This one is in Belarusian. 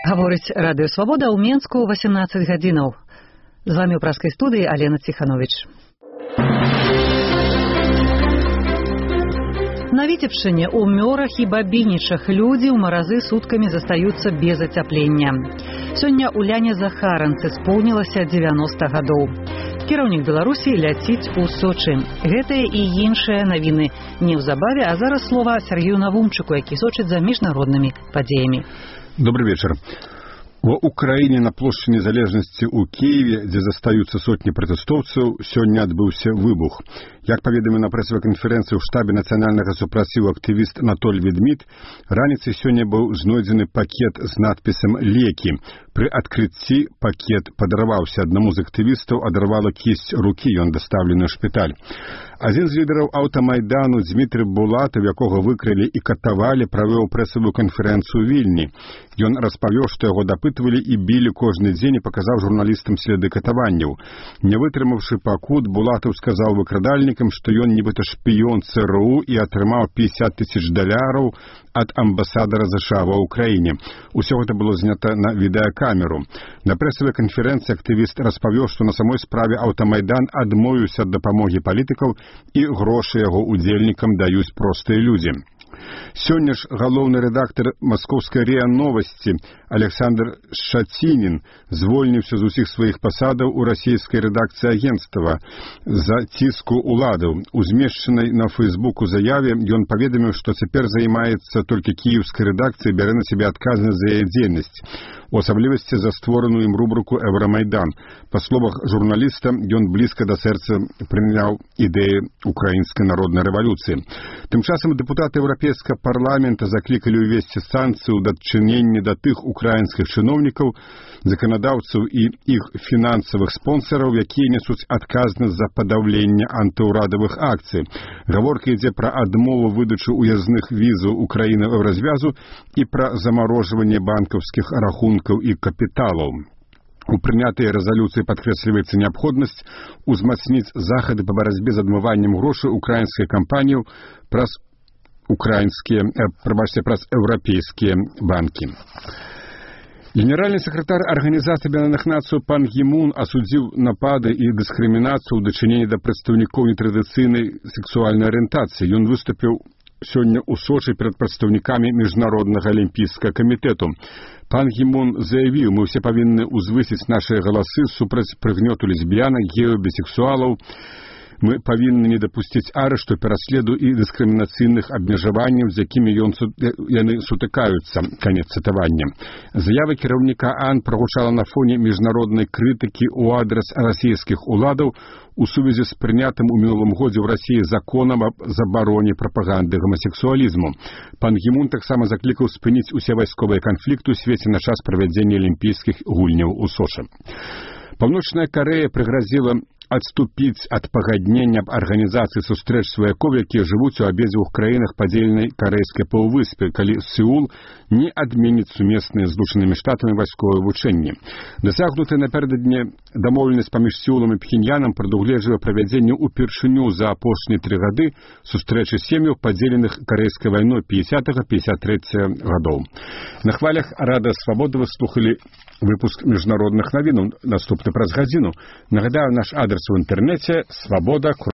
Гаворыць Радыё Свабода ў Менску 18 гадзінаў. З вамі ў праскай студыі Алена Ціханович. На Віцебшчыне, у Мёрах і Бабінічах людзі ў маразы суткамі застаюцца без ацяплення. Сёння Уляне Захаранцы споўнілася 90 гадоў. Кіраўнік Беларусі ляціць у Сочы. Гэтыя і іншыя навіны неўзабаве, а зараз слова Сергею Навумчыку, які сочыць за міжнароднымі падзеямі. Добрый вечер. В Украине на площади Незалежности у Киеве, где застаются сотни протестовцев, сегодня отбылся выбух. Як поведомил на прессовой конференции в штабе национального супротиву активист Анатолий Ведмит, раніцай сегодня был знойдзены пакет с надписом «Леки». При открытии пакет подорвался. Одному из активистов оторвала кисть руки, и он доставлен в шпиталь. Один з лідерів Автомайдану Дмитрий Булатов, якого викрили і катували, провів пресову конференцію у Вільні. Він розповів, що його допитували і били кожен день і показав журналістам сліди катуваннів. Не витримавши покут, Булатов сказав викрадальникам, що він нібито шпіон ЦРУ і отримав $50,000 від амбасадора США в Україні. Усього це було знято на відеокамеру. На пресовій конференції активіст розповів, що на самій справі Автомайдан відмовився від допомоги політиків і гроші його удільникам дають прості люди. Сёння ж галоўны рэдактар Маскоўскай РИА Новости Александр Шацінін звольніўся з усіх сваіх пасадаў у расійскай рэдакцыі агенцтва за ціску уладаў. У змешчанай на Фейсбуку заяве ён паведаміў, што цяпер займаецца толькі кіеўскай рэдакцыяй, бярэ на сябе адказнасць за яе дзейнасць, у асаблівасці за створаную ім рубрыку «Евромайдан». Па словах журналіста, ён блізка да сэрца прыняў ідэі украінскай народнай рэвалюцыі. Тым часам дэпутаты Еўрапейскага парламента заклікалі ўвесці санкцыі ў дачыненні да тых украінскіх чыноўнікаў, заканадаўцаў і іх фінансавых спонсараў, якія несуць адказнасць за падаўленне антыўрадавых акцый. Гаворка ідзе пра адмову выдачы уязных візаў Украіны Еўразвязу і пра замарожванне банкаўскіх рахункаў і капіталаў. У прынятыя рэзалюцыі падкрэсліваецца неабходнасць узмацніць захады па барацьбе з адмываннем грошай украінскай кампаніяў праз еўрапейскія банкі. Генеральный секретарь Организации Объединенных Наций Пан Гі Мун осудил напады и дискриминацию в дачыненні да прадстаўнікоў нетрадыцыйнай сексуальнай арыентацыі. Ён выступил сегодня у Сочи перед представниками Международного олимпийского комитета. Пан Гі Мун заявил, мы все повинны узвысіць наши голосы супраць прыгнёту лесбиянок, геев, бисексуалов. Мы повинны не допустить арешту, пераследу и дискриминацыйных абмежаванняў, з якімі яны сутыкаюцца. Конец цытавання. Заява кіраўніка АН прагучала на фоне міжнароднай крытыкі ў адрас расійскіх уладаў у сувязі з прынятым у мінулым годзе ў Расіі законам аб забароне прапаганды гомасексуалізму. Пан Гі Мун таксама заклікаў спыніць усе вайсковыя канфлікты ў свеце на час правядзення алімпійскіх гульняў у Сочы. Паўночная Карэя прыгразіла адступіць ад пагаднення аб арганізацыі сустрэч сваякоў, якія жывуць у абедзвюх краінах падзеленай карэйскай паўвыспе, калі Сеул не адменіць сумесныя з Злучанымі Штатамі вайсковыя вучэнні. Дасягнутая напярэдадні дамоўленасць паміж Сеулам і Пхеньянам прадугледжвае правядзенне ўпершыню за апошнія 3 гады сустрэчы сем'яў, падзеленых карэйскай вайной 50-53 гадоў. На хвалях Радыё Свабода вы слухалі выпуск міжнародных навінаў. Наступны праз гадзіну. Нагадаю, наш адрес в интернете свобода.